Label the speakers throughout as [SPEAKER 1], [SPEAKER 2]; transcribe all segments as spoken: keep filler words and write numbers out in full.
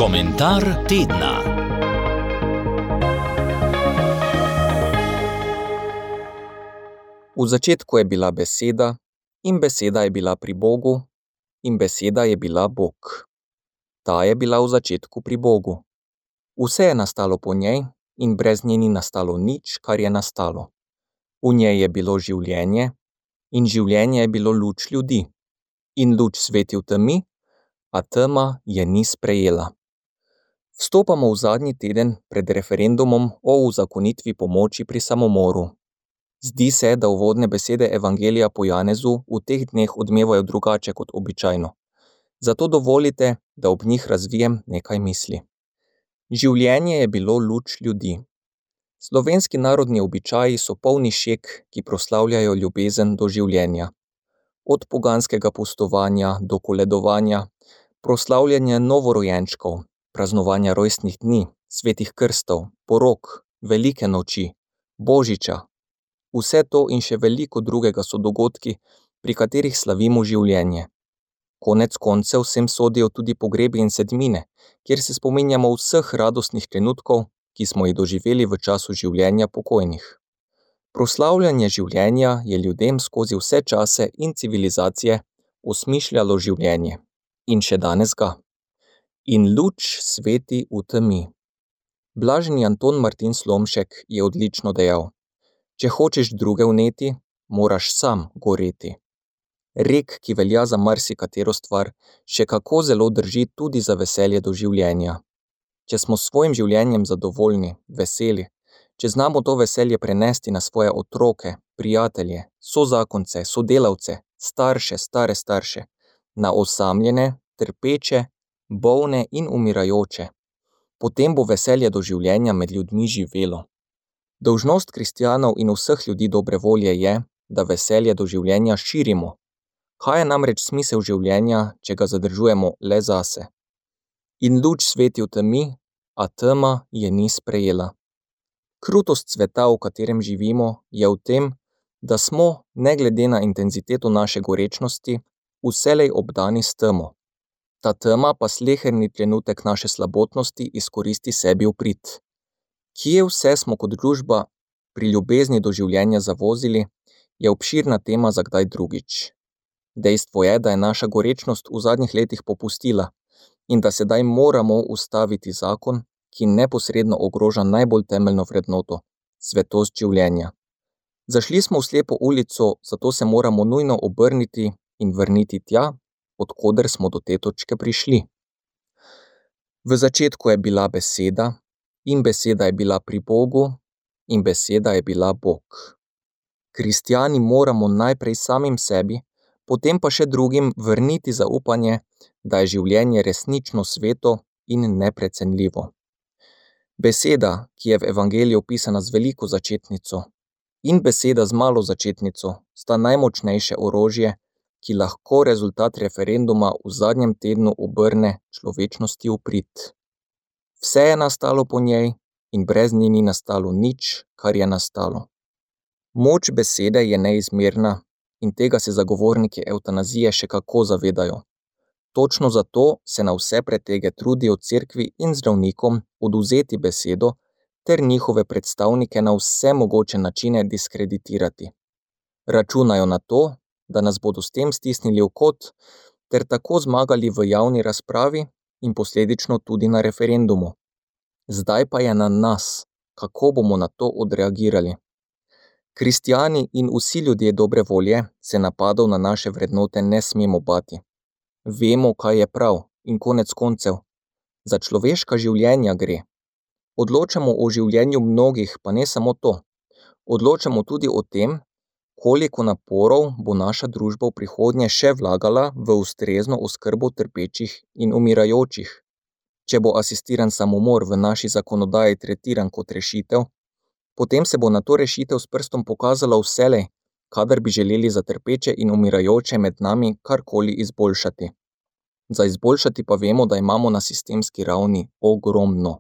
[SPEAKER 1] Komentar tedna.
[SPEAKER 2] V začetku je bila beseda, in beseda je bila pri Bogu, in beseda je bila Bog. Ta je bila v začetku pri Bogu. Vse je nastalo po njej in brez nje ni nastalo nič, kar je nastalo. V njej je bilo življenje in življenje je bilo luč ljudi. In luč sveti v temi, a tema je ni sprejela. Vstopamo v zadnji teden pred referendumom o uzakonitvi pomoči pri samomoru. Zdi se, da uvodne besede Evangelija po Janezu v teh dneh odmevajo drugače kot običajno. Zato dovolite, da ob njih razvijem nekaj misli. Življenje je bilo luč ljudi. Slovenski narodni običaji so polni šeg, ki proslavljajo ljubezen do življenja. Od poganskega pustovanja do koledovanja, proslavljanja novorojenčkov, praznovanja rojstnih dni, svetih krstov, porok, velike noči, božiča. Vse to in še veliko drugega so dogodki, pri katerih slavimo življenje. Konec koncev sem sodijo tudi pogrebi in sedmine, kjer se spominjamo vseh radostnih trenutkov, ki smo jih doživeli v času življenja pokojnih. Proslavljanje življenja je ljudem skozi vse čase in civilizacije osmišljalo življenje. In še danes ga. In luč sveti v temi. Blaženi Anton Martin Slomšek je odlično dejal: če hočeš druge vneti, moraš sam goreti. Rek, ki velja za marsikatero stvar, še kako zelo drži tudi za veselje do življenja. Če smo s svojim življenjem zadovoljni, veseli, če znamo to veselje prenesti na svoje otroke, prijatelje, sozakonce, sodelavce, starše, stare starše, na osamljene, trpeče, bolne in umirajoče, potem bo veselje do življenja med ljudmi živelo. Dolžnost kristjanov in vseh ljudi dobre volje je, da veselje do življenja širimo. Kaj je namreč smisel življenja, če ga zadržujemo le zase? In luč sveti v temi, a tema je ni sprejela. Krutost sveta, v katerem živimo, je v tem, da smo, ne glede na intenziteto naše gorečnosti, vselej obdani s temo. Ta tema pa sleherni trenutek naše slabotnosti izkoristi sebi v prid. Kje vse smo kot družba pri ljubezni do življenja zavozili, je obširna tema za kdaj drugič. Dejstvo je, da je naša gorečnost v zadnjih letih popustila in da sedaj moramo ustaviti zakon, ki neposredno ogroža najbolj temeljno vrednoto, svetost življenja. Zašli smo v slepo ulico, zato se moramo nujno obrniti in vrniti tja, od koder smo do te točke prišli. V začetku je bila beseda, in beseda je bila pri Bogu, in beseda je bila Bog. Kristjani moramo najprej samim sebi, potem pa še drugim vrniti zaupanje, da je življenje resnično sveto in neprecenljivo. Beseda, ki je v Evangeliju opisana z veliko začetnico, in beseda z malo začetnico sta najmočnejše orožje, ki lahko rezultat referenduma v zadnjem tednu obrne človečnosti v prid. Vse je nastalo po njej in brez nje ni nastalo nič, kar je nastalo. Moč besede je neizmerna in tega se zagovorniki evtanazije še kako zavedajo. Točno zato se na vse pretege trudijo cerkvi in zdravnikom odvzeti besedo ter njihove predstavnike na vse mogoče načine diskreditirati. Računajo na to, da nas bodo s tem stisnili v kot ter tako zmagali v javni razpravi in posledično tudi na referendumu. Zdaj pa je na nas, kako bomo na to odreagirali. Kristjani in vsi ljudje dobre volje se napadov na naše vrednote ne smemo bati. Vemo, kaj je prav in konec koncev. Za človeška življenja gre. Odločamo o življenju mnogih, pa ne samo to. Odločamo tudi o tem, koliko naporov bo naša družba v prihodnje še vlagala v ustrezno oskrbo trpečih in umirajočih. Če bo asistiran samomor v naši zakonodaji tretiran kot rešitev, potem se bo na to rešitev s prstom pokazalo vselej, kadar bi želeli za trpeče in umirajoče med nami karkoli izboljšati. Za izboljšati pa vemo, da imamo na sistemski ravni ogromno.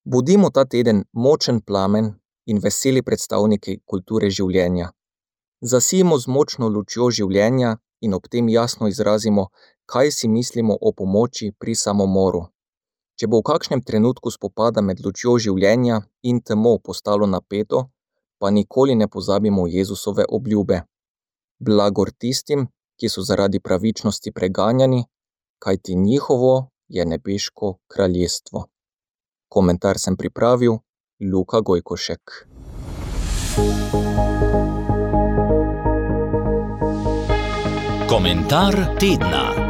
[SPEAKER 2] Bodimo ta teden močen plamen in veseli predstavniki kulture življenja. Zasijemo z močno lučjo življenja in ob tem jasno izrazimo, kaj si mislimo o pomoči pri samomoru. Če bo v kakšnem trenutku spopada med lučjo življenja in temo postalo napeto, pa nikoli ne pozabimo Jezusove obljube. Blagor tistim, ki so zaradi pravičnosti preganjani, kajti njihovo je nebeško kraljestvo. Komentar sem pripravil Luka Gojkošek.
[SPEAKER 1] Komentar tedna.